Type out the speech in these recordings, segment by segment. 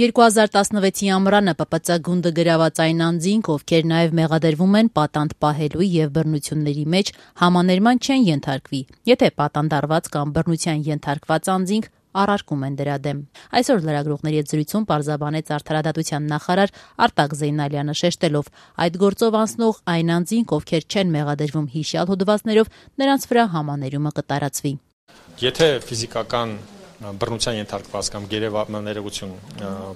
2016-ի ամռանը ՊՊԾ գունդը գրաված այն անձինք, ովքեր նաև մեղադրվում են պատանդ պահելու եւ բռնությունների մեջ, համաներման չեն ենթարկվի, եթե պատանդարված կամ բռնության ենթարկված անձինք առարկում են դրա դեմ։ Այսօր լրագրողների հետ զրույցում պարզաբանեց Արդարադատության նախարար Արտակ Զեյնալյանը, շեշտելով, այդ գործով անցնող այն անձինք, ովքեր չեն մեղադրվում հիշյալ հոդվածներով, նրանց վրա համաներումը կտարածվի։ Եթե ֆիզիկական բռնության ենթարկված կամ գերեներողություն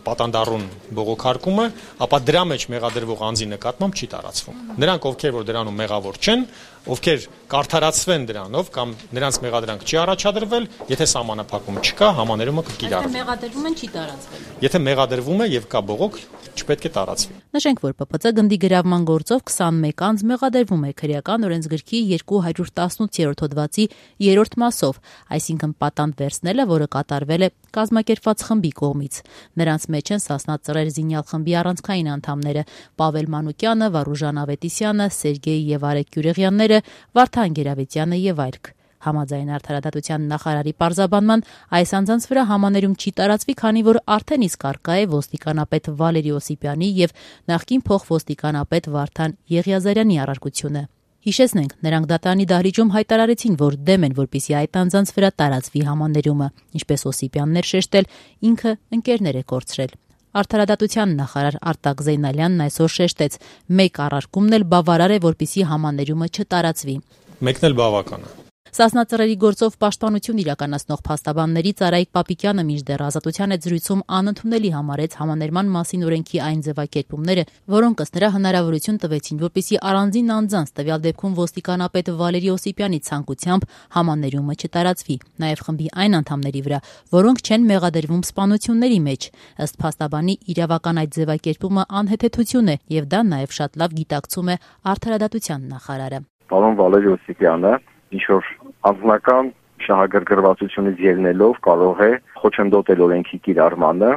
պատանդառուն բողոքարկումը, ապա դրա մեջ մեղադրվող անձի նկատմամբ չի տարածվում։ Նրանք, ովքեր որ դրանում մեղավոր չեն, ովքեր կարդարացվեն դրանով կամ նրանց մեղադրանք չի առաջադրվել, եթե սահմանափակում չկա, համաներումը կկիրառվի։ Մեղադրվում են չի տարածվել։ Եթե մեղադրվում է եւ կա բողոք, չպետք է տարածվի։ Նշենք, որ ՊՊԾ գնդի գրավման գործով 21 անձ մեղադրվում է քրեական օրենսգրքի 218-րդ հոդվածի 3-րդ մասով, այսինքն պատանդ վերցնելը, որը կատարվել է կազմակերպված խմբի կողմից։ Նրանց մեջ են Սասնա Ծռեր զինյալ խմբի առանցքային անդամները Պավել Մանուկյանը, Վարուժան Ավետիսյանը, Սերգեյ եւ Արեգ Գյուրեղյանները, Վարդան Գերավետյանը եւ այլք։ Համաձայն Արդարադատության նախարարի պարզաբանման, այս անձանց վրա համաներում չի տարածվի, քանի որ արդեն իսկ առկա է ոստիկանապետ Վալերի Օսիպյանի եւ նախկին փոխոստիկանապետ Վարդան Եղիազարյանի առարկությունը։ Հիշեցնենք, նրանք դատարանի դահլիճում հայտարարեցին, որ դեմ են, որպեսզի այդ անձանց վրա տարածվի համաներումը, ինչպես Օսիպյանն էր շեշտել, ինքը ընկերներ է կորցրել։ Արդարադատության նախարար Արտակ Զեյնալյանն այսօր շեշտեց, մեկ առարկումն էլ բավարար է, որպեսզի համաներումը չտարածվի։ Մեկն էլ բավական է։ Սասնա Ծռերի գործով պաշտպանություն իրականացնող փաստաբաններից Արայիկ Պապիկյանը մինչդեռ Ազատության հետ զրույցում անընդունելի համարեց համաներման մասին օրենքի այն ձևակերպումները, որոնք ըստ նրա հնարավորություն տվեցին, որպեսզի առանձին անձանց, տվյալ դեպքում ոստիկանապետ Վալերի Օսիպյանի ցանկությամբ համաներումը չտարածվի, նաև խմբի այն անդամների վրա, որոնք չեն մեղադրվում սպանությունների մեջ։ Ըստ փաստաբանի իրավական այդ ձևակերպումը անհեթեթություն է, եւ դա նաև շատ լավ գիտակցում է Արդարադատության նախարարը։ Պարոն Վալերի Օսիպյանը ինչ-որ անձնական շահագրգռվածությունից ելնելով կարող է խոչընդոտել օրենքի կիրառմանը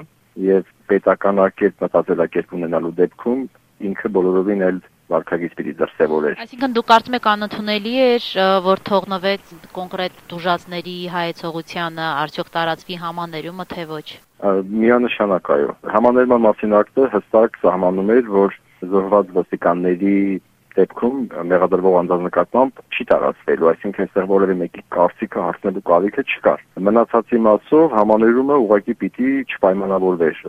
եւ պետականակերտ մտածելակերպ ունենալու դեպքում ինքը բոլորովին էլ վարքագիծ պիտի դրսևորեր։ Այսինքն դուք կարծում եք անընդունելի էր, որ թողնվեց կոնկրետ դուժածների հայեցողությանը, արդյոք տարածվի համաներումը, թե ոչ։ Միանշանակ այո։ Համաներման մասին ակտը հստակ սահմանում էր, որ զոհված ոստիկանների դեպքում մեղադրվող անձանց նկատմամբ չի տարածվելու, այսինքն այստեղ որևէ մեկի կարծիքը հարցնելու կարիքը չկար։ Մնացածի մասով համաներումը ուղղակի պիտի չպայմանավորվեր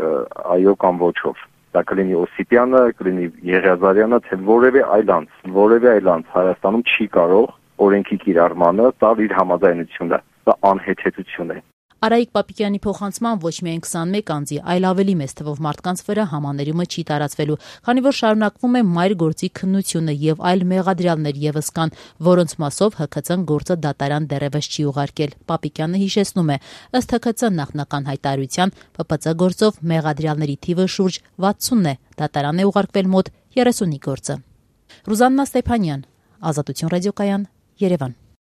այո կամ ոչով։ Դա կլինի Օսիպյանը, կլինի Եղիազարյանը, թե որևէ այլ անձ Հայաստանում չի կարող օրենքի կիրառմանը տալ իր համաձայնությունը։ Դա անհեթեթություն է։ Արայիկ Պապիկյանի փոխանցման ոչ միայն 21 անձի, այլ ավելի մեծ թվով մարդկանց վրա համաներումը չի տարածվելու, քանի որ շարունակվում է մայր գործի քննությունը եւ այլ մեղադրյալներ եւս կան, որոնց մասով ՀՔՑ-ն գործը դատարան դեռևս չի ուղարկել։ Պապիկյանը հիշեցնում է, ըստ ՀՔՑ նախնական հայտարարության, ՊՊԾ գործով մեղադրյալների թիվը շուրջ 60-ն է, դատարան է ուղարկվել մոտ 30-ի գործը։ Ռուզաննա Ստեփանյան, Ազատություն ռադիոկայան, Երևան։